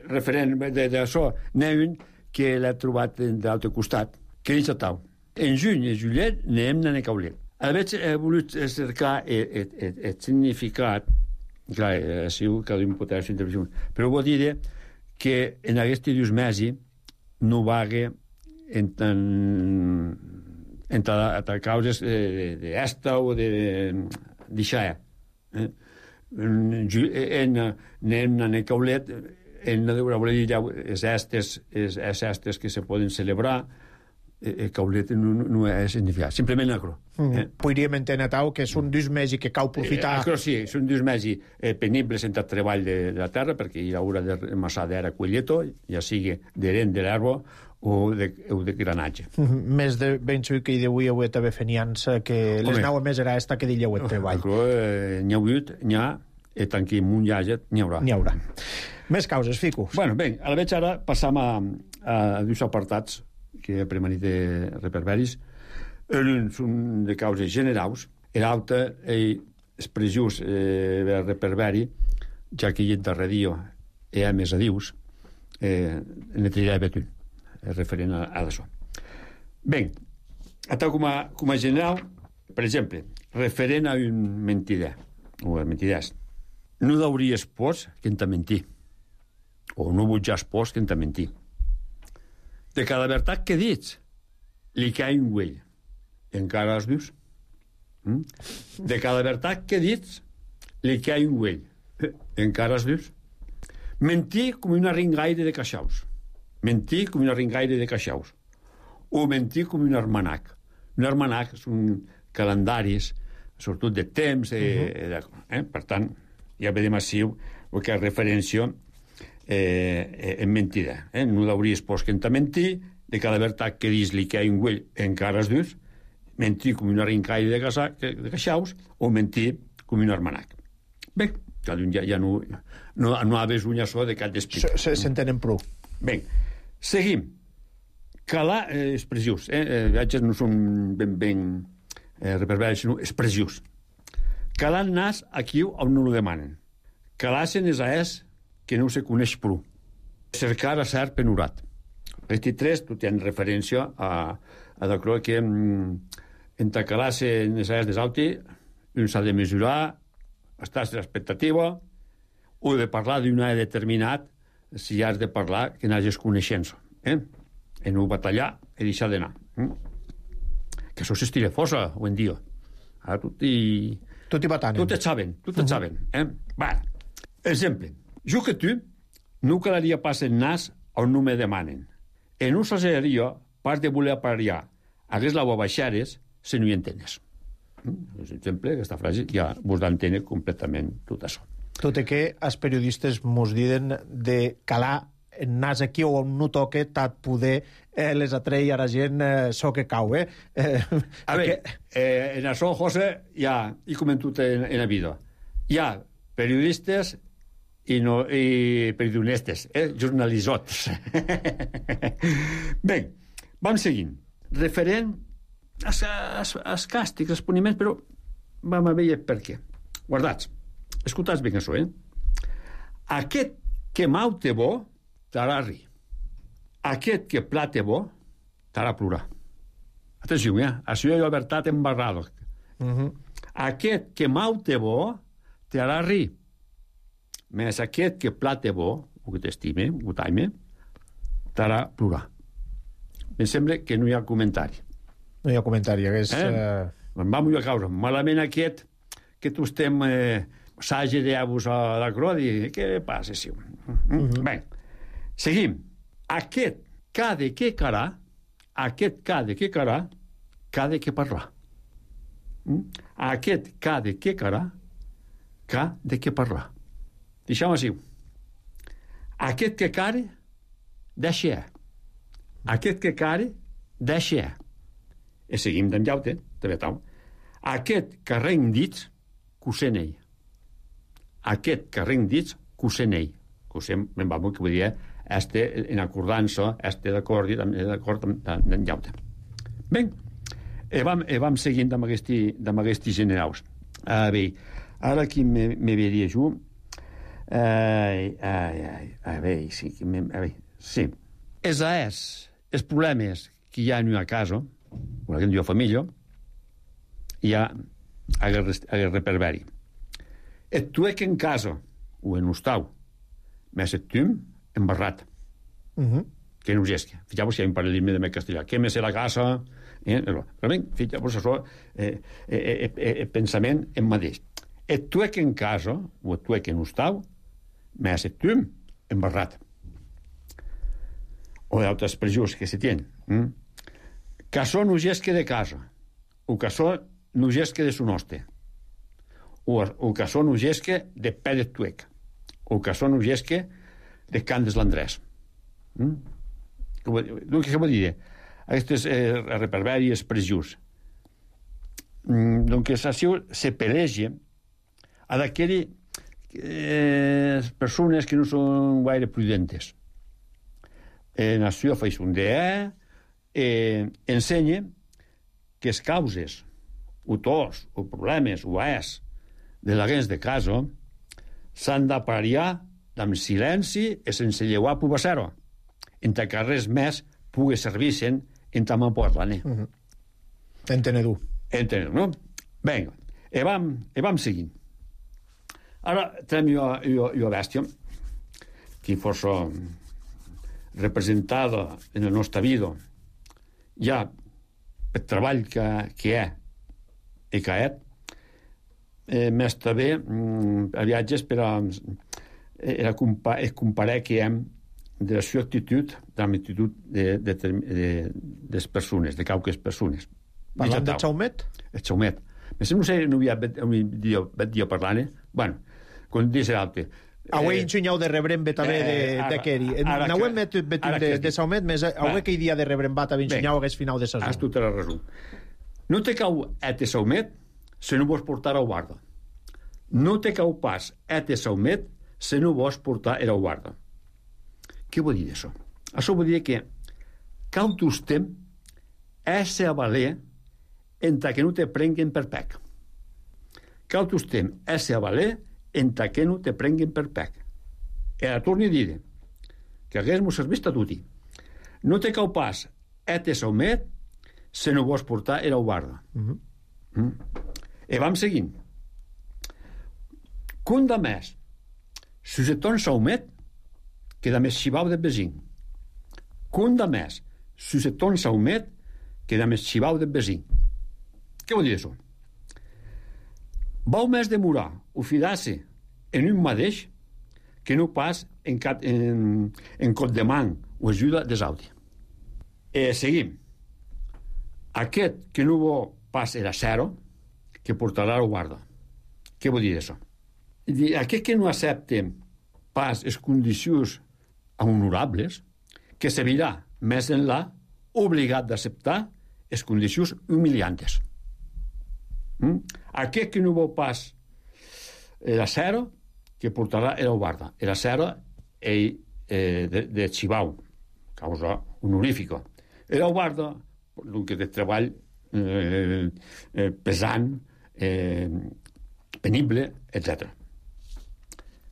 Referent d'això, n'hi ha un que l'ha trobat d'altre costat, que és Tau. En juny i juliet n'hem d'anar a Caulet. He volut cercar el significat, clar, cada un pot fer intervenció, però vol dir que en aquests dos mesos no va haver entre causes d'esta o d'aixà. Anem a Caulet, hem de voler dir les estes que se poden celebrar. Caulet no és significat, simplement acro. Podríem entendre, Tau, que són dos mesos que cau aprofitar... Acro sí, són dos mesos penibles en el treball de la terra, perquè hi haurà de massar d'era colleto, ja sigui d'herent de l'herba o de granatge. Més de ben segur que d'avui heu d'haver fenians, que les nau més era esta que dilleu el treball. N'hi ha hagut, n'hi ha, i tant que un llaget n'hi haurà. N'hi haurà. Més causes, Fico. Bueno, bé, a la veig ara passam a dos apartats que he premanit de reperberis. Un són de causes generals, l'altre és prejús de reperberi, ja que hi ha darrer dia hi ha més adius, ne triaré betun, referent a això. Bé, com a general, per exemple, referent a un mentider, o a mentiders, no hauries pors que en te mentir, o no vutjas pors que en te mentir. De cada veritat que dits, li cai un güell. Encara els vius? De cada veritat que dits, li cai un güell. Encara els vius? Mentir com una ringaire de caixaus. Mentir com una ringaire de caixaus. O mentir com un armanac. Un armanac són calendaris, sobretot de temps. Per tant, ja vedem així el que és referència en mentida. No hauries pos que en te mentir, de cada veritat que dis li que hi ha un güell encara es dius, mentir com una rincaire de caixaus o mentir com un armanac. Bé, cada un ja no ha vist un açò de cap d'esprit. S'entenen prou. Bé, seguim. Calar expressius. Viatges no són ben reperberis, sinó expressius. Calar nas aquí on no ho demanen. Calar-se'n és que no se coneix prou. Cercar a cert penurat. Aquests tres, tu tens referència a que en ta classe necessitats d'alti, un s'ha de mesurar, estàs d'expectativa, o de parlar d'una determinat, si has de parlar, que n'hagis coneixença. En no batallar i deixar d'anar. Que això s'estira força, avui en dia. Ara tot hi batanen. Tot et saben. Va, exemple. Jo que tu no calaria pas el nas on no me demanen. En no s'aseria pas de voler aparellar hagués la baixares si no hi entenes. Per exemple, aquesta frase ja vos d'entendre completament tot això. Tot i que els periodistes mos diuen de calar el nas aquí o on no toque tant poder les atreia a la gent so que cau, A veure, en això, José, ja he comentat en la vida. Hi ha periodistes i periodistes, jornalisots. Bé, vam seguint. Referent als càstigs, als puniments, però vam a veure per què. Guardats, escoltats bé això, Aquest que mau té bo, t'harà rir. Aquest que plat té bo, t'harà plorar. Atenció, això hi ha veritat embarrada. Aquest que mau té bo, t'harà rir. Més aquest que plat té bo, o que t'estime, o t'aime, t'harà plorar. Em sembla que no hi ha comentari. No hi ha comentari, hagués... Em va molt a causa. Malament aquest, que tu estem s'hagi d'avus a la cròdia. Què passa, sí? Bé, seguim. Aquest cada que carà, cada que parlar. Aquest cada que carà, cada que parlar. Deixem així. Aquest que care, deixa. Aquest que care, deixa. I seguim d'en llaute, també tal. Aquest que reng dits, cosent ell. Aquest que reng dits, cosent ell. Cosent, me'n va molt que vull dir, en acordança, d'acord amb d'en llaute. Bé, vam seguint amb aquests generals. A veure, ara aquí me veria jo. A veure, sí. Els problemes que hi ha en una casa, o en una família, hi ha el reperberi. Et tuec en casa, o en hostal, més et tum embarrat. Que no us esque. Fixeu-vos si hi ha un paral·lelisme de castellà. Que més la casa... Realment, fixeu-vos això, pensament en mateix. Et tuec en casa, o et tuec en hostal, més et tum embarrat. O d'altres prejus que se tenen. Casó no gesque de casa, o casó no gesque de son hoste, o casó no gesque de pè de tuec, o casó no gesque de can des l'Andrés. Què vol dir? Aquestes reperbèries prejus. Donc, això se pelege a d'aquelles persones que no són gaire prudentes. En això faig un DE, ensenya que les causes, o tos, o problemes, o de la gens de casa, s'han d'aparellar amb silenci i sense llevar pubassero, entre que res més pugui servir-se'n en tamà portlant. Entenedu, no? Vinga, i vam seguint. Ara tenim jo bèstia, que força representada en la nostra vida, ja el treball que hi ha i que ha més també a viatges per a comparar que hi ha de la seva actitud, de l'actitud de les persones, de qualques persones. Parlant de Chaumet? El Chaumet. No sé, no havia bet dia parlant, bueno, quan dius l'altre. Avui ensenyau de rebrem també de Keri. N'auem betum de Saumet, més avui que hi dia de rebrem bat a ensenyau hagués final de sesó. Has tu te la resum. No te cau de Saumet si no vols portar a guarda. No te cau pas de Saumet si no vols portar a guarda. Què vol dir això? Això vol dir que cau tostem a valer entre que no te prenguen per pec. Cau tostem a valer entre que no te prenguen per pec. E la torni a dir que hagués mos servit a tutti. No te cau pas te Saumet si no vols portar a guarda. E vam seguint. Cun de més, si se ton Saumet, que de més xivau de vesin. Cun de més, si se ton Saumet, que de més xivau de vesin. Què vol dir això? Vau més demorar o fidar-se en un mateix que no pas en cot de man o ajuda des altres. Seguim. Aquest que no vol pas era zero, que portarà la guarda. Què vol dir això? Aquest que no accepta pas les condicions honorables, que se virà més enllà obligat d'acceptar les condicions humiliantes. Aquest que no vol pas la zero, que portarà era Guarda. Era Serra de Xibau, causa honorífica. Era Guarda, que de treball pesant, penible, etc.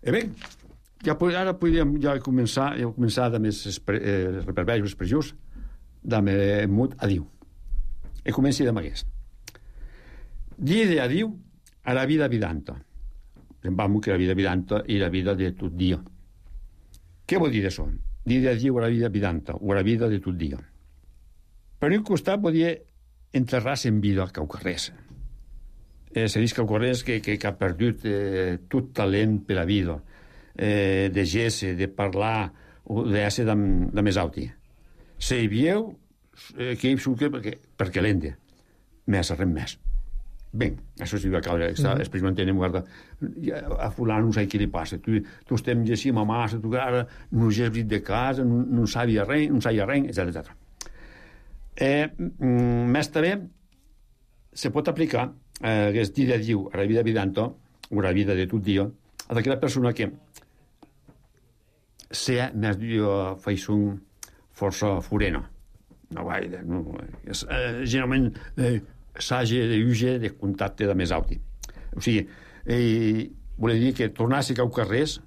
I bé, ara podríem començar a més reperveis expressions de mut adiu. E comenci de magués. Dire adiu a la vida vidanta. Semblam que la vida vidanta i la vida de tot dia. Què vol dir això? Dire adiu a la vida vidanta o a la vida de tot dia. Per un costat vol dir enterrar-se en vida caucarrés. Se diu caucarrés que ha perdut tot talent per la vida, de gesse, de parlar o d'ésser de més alti. Se hi vieu que hi surque perquè l'ende més res més. Bé, això sí va caure, experimentem, guarda, a fulano no sé què li passa, tu estem llegint a massa, tu ara no has vist de casa, no sabia res, etc. Més també se pot aplicar aquest dia diu a la vida vidanta o a la vida de tot dia a d'aquella persona que sea més faissun força furena. Generalment s'hagi d'uge de contacte de més alti. O sigui, volia dir que tornar a ser caucarrés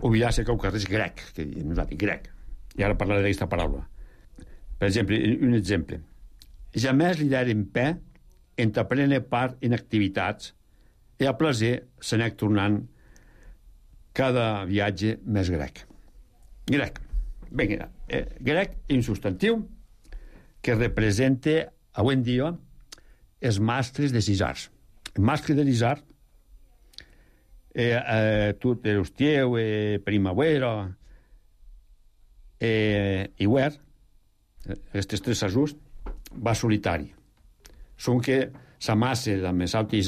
oblidar a ser caucarrés grec, que diem nosaltres, grec. I ara parlaré d'aquesta paraula. Per exemple, un exemple. Jamés li deren pè entre prendre part en activitats i a plaer se n'anà tornant cada viatge més grec. Grec. Bé, grec és un substantiu que representa avui en dia els mascles de cisars. El mascle de l'isar tot l'estiu, primavera, hivern, aquests tres ajusts, va solitari. Són que s'amassa de més altes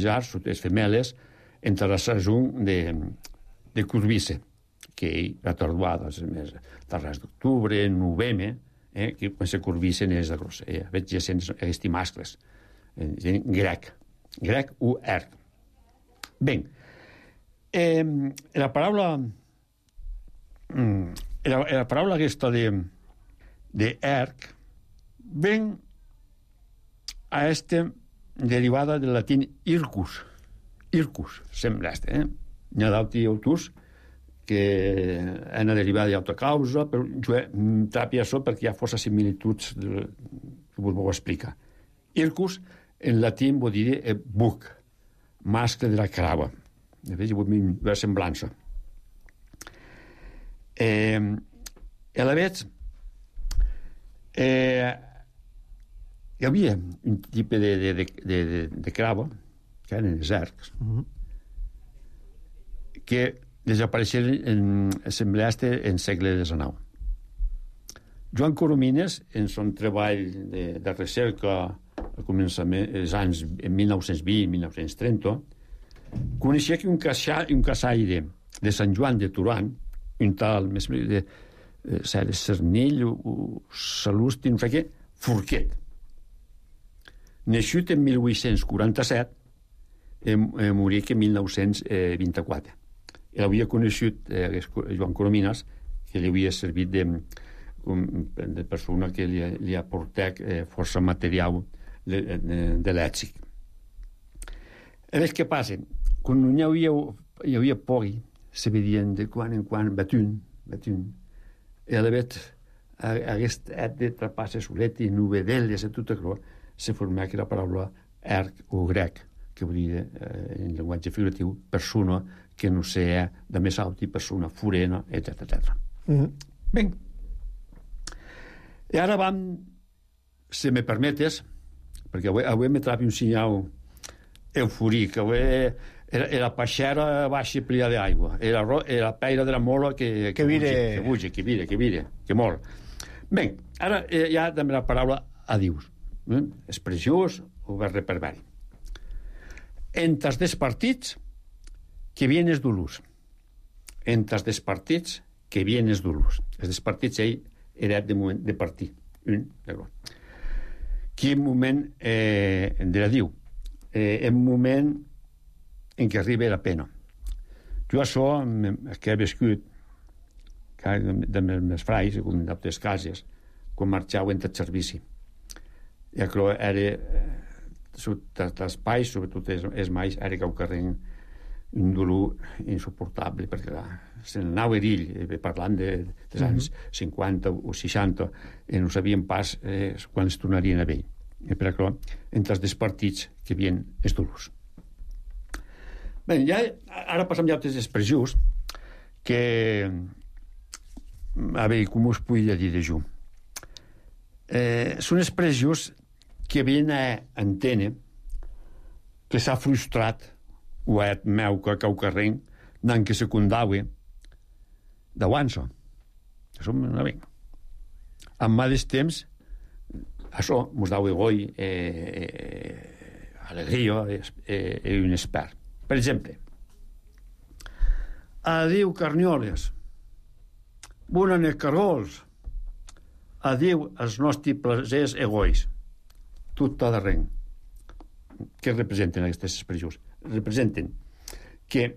jars, les femeles, entre les ajunt de curvice, que ha tardat darrers d'octubre, novembre, que quan se curvicen és de gros. Veig aquests mascles. Grec o erc. Bé, la paraula aquesta de erc ven a derivada del latín ircus. Ircus, sembla N'hi ha d'altres autors que han derivat d'altra causa, però jo trapi això perquè hi ha força similituds que vos ho explica. Ircus, en latí, vol dir buc, mascle de la crava. De fet, hi ha una semblança. A la vegada, hi havia un tipus de crava, que eren els ercs, que desapareixeren en segle XIX. Joan Coromines, en son treball de recerca al començament, els anys 1920-1930, coneixia que un caçaire de Sant Joan de Turan, un tal de Cernell o Salusti, no sé què, Forquet, nascut en 1847, morí en 1924. Ell havia conegut Joan Coromines, que li havia servit de persona que li aportat força material de lèxic. Què passa? Quan hi havia pogui, se vedien de quan en quan batun, i a la vegada aquest de trapasses solet i novedelles i tot això, se formava aquella paraula erc o grec, que vol dir en llenguatge figuratiu persona que no sea de més alta, persona furena, etc. Bé. I ara vam, si me permetes, perquè avui me trapi un senyal eufòric, avui era peixera baixa plia d'aigua, era la peira de la mola que vire, que mol. Bé, ara hi ha també la paraula adius, expressiós o reverberi. Entre els despartits que vienes dolors. Entre els despartits que vienes dolors. Els despartits era de moment de partir. Quin moment de la diu? Un moment en què arriba la pena. Jo això que he viscut de meus frais, com d'altres cases, quan marxau entre el servici. I això era l'espai, sobretot els mais, era que ho carreguen un dolor insuportable, perquè se n'anava ell, parlant dels anys 50 o 60, i no sabien pas quan es tornarien a ell. I per això, entre els partits que havien els dolors. Bé, ja, ara passem ja a altres expressions que, a veure, com us puc dir de jo? Són expressions que havien a entendre que s'ha frustrat o et meu que cau carrer n'han que secundaue d'avança. Això no ve. En mateix temps, això mos daue goi alegria i un espert. Per exemple, adiu carnioles, bonen els cargols, adiu els nostres placers egois. Tot a darrere. Què representen aquestes expressions? Representen que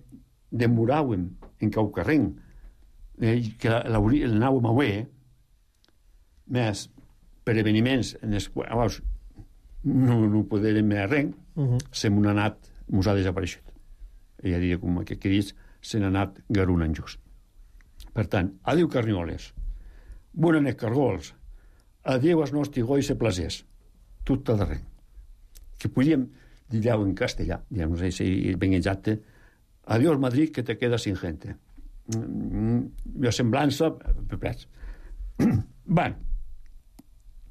demoràvem en cau carrer, que l'anàvem a veure, més per eveniments en els quals no podem més res, se m'ha anat, mos ha desapareixut. Ella diria, com que dius, se n'ha anat garunant just. Per tant, adiu carnioles, bonen els cargols, adiu els nostres gois i placers, tot a darrere. Que podíem dir en castellà, no sé si ben exacte, adiós Madrid, que te quedas sin gente. La semblança, pepets. Bé,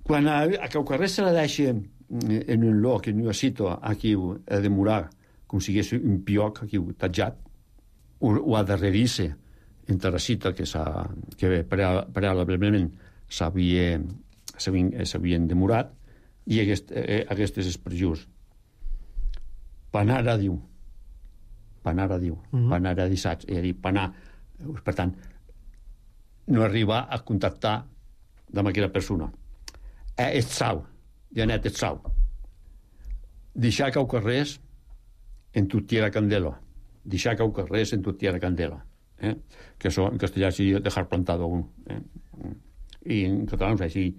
quan a Caucarrer se la deixa en un lloc, en una cita, aquí a demorar, com si hagués un pioc aquí tatjat, o a darrerir-se entre la cita que prealablement s'havien demorat, i aquestes expressions. Panar a diu, panar a dissats, és a dir, panar. Per tant, no arribar a contactar amb aquella persona. És sau, Janet, és sau. Deixar cau carrers en tuttiera candela. Deixar cau carrers en tuttiera candela. Que això en castellà seria dejar plantado un. I en català no sé si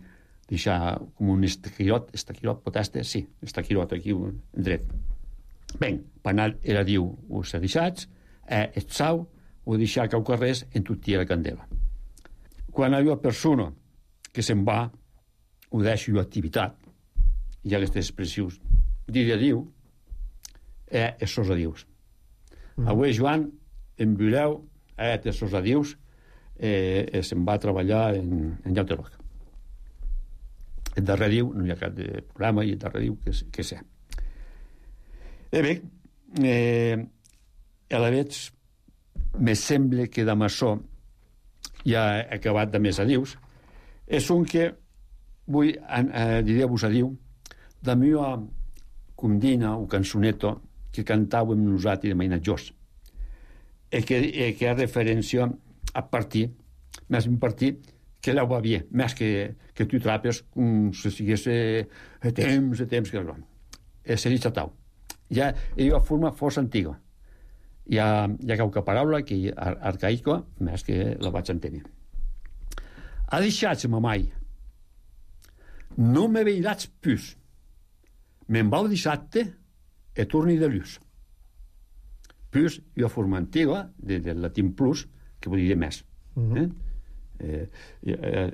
deixar com un estaquirot poteste, sí, estaquirot aquí dret. Ben, panar era diu us deixats, et sau, o deixar cau carrers en tuttiera candela. Quan hi ha persona que se'n va, ho deixa una activitat, hi ha aquestes expressions, dir adiu, és sos adius. Avui, Joan, en voleu, és sos adius, se'n va a treballar en lloc de lloc. El darrer diu, no hi ha cap de programa, i el darrer diu que sé. Bé, a la veig, me sembla que de maçó ja he acabat de més adius. És un que vull dir-vos adiu de meva condina o cançoneta que cantàvem nosaltres de mainatjors. Que ha referència a partir, més un partit que la va bé, més que tu trapes com si sigués temps que no. Se diu tau. Ja hi ha una forma força antiga. Hi ha qualque paraula que arcaica, més que la vaig entendre. Ha deixat mamai. No me veiràs plus. Me'n vau dissabte e torni de luz. Plus hi ha una forma antiga, del latín plus, que vol dir més.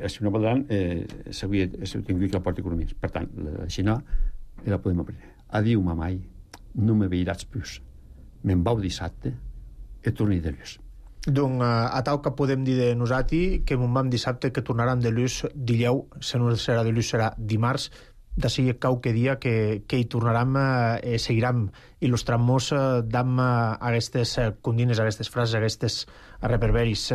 Si no podran, s'hauria tingut la porta economia. Per tant, la xina la podem aprendre. Adiu, mamai, no me veiràs plus. Me'n vau dissabte e torni de luz. Donc, a tal que podem dir de nosaltres que me'n vam dissabte que tornaran de luz dileu, si no serà de luz serà dimarts, de seguir qualque dia que hi tornaram i seguirem il·lustrant-nos d'am aquestes condines, aquestes frases, aquestes reverberis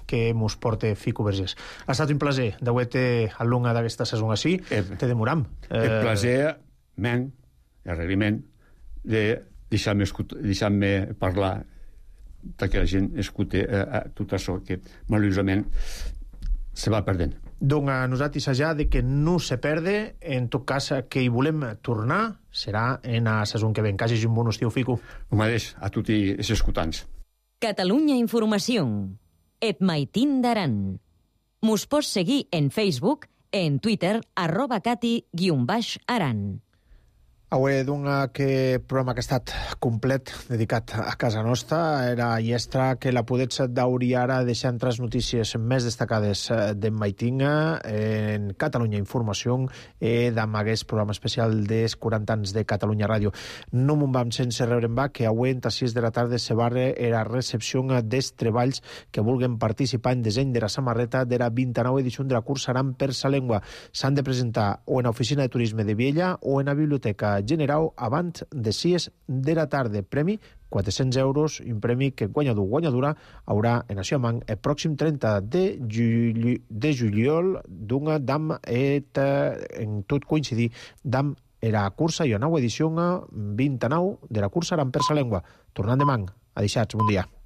que mos porta Fico Vergés. Ha estat un plaer d'haver-te al longa d'aquesta saison així. Te demoram. El plaer, men, el reglament, de deixar-me parlar que la gent escuti tot això que malauradament se va perdent. Donc a nosaltres ja de que no se perde, en tot cas que hi volem tornar serà en la saison que ve. Que hagi un bon estiu, Fico. El mateix a tots els escoltants. Catalunya Informació. Et maitin d'aran. Mos pots seguir en Facebook, en Twitter, @cati_aran. Avui d'un que programa que ha estat complet dedicat a casa nostra era llestra que la podets dauri ara deixar entre les notícies més destacades d'en Maitinga en Catalunya Informació d'amagués programa especial dels 40 anys de Catalunya Ràdio. No me'n vam sense rebre en va que avui a 6 de la tarda se barre era recepció dels treballs que vulguen participar en disseny de la samarreta de la 29 edició de la cursa Aran per sa Llengua. S'han de presentar o en l'Oficina de Turisme de Viella o en la Biblioteca General abans de 6 de la tarda. Premi 400 euros, un premi que guanyadora haurà en Nació Amang el pròxim 30 de juliol d'una dam en tot coincidir dam era cursa i una nova edició 29 de la cursa Aran per sa Llengua. Tornant de Mang, adeixats, bon dia.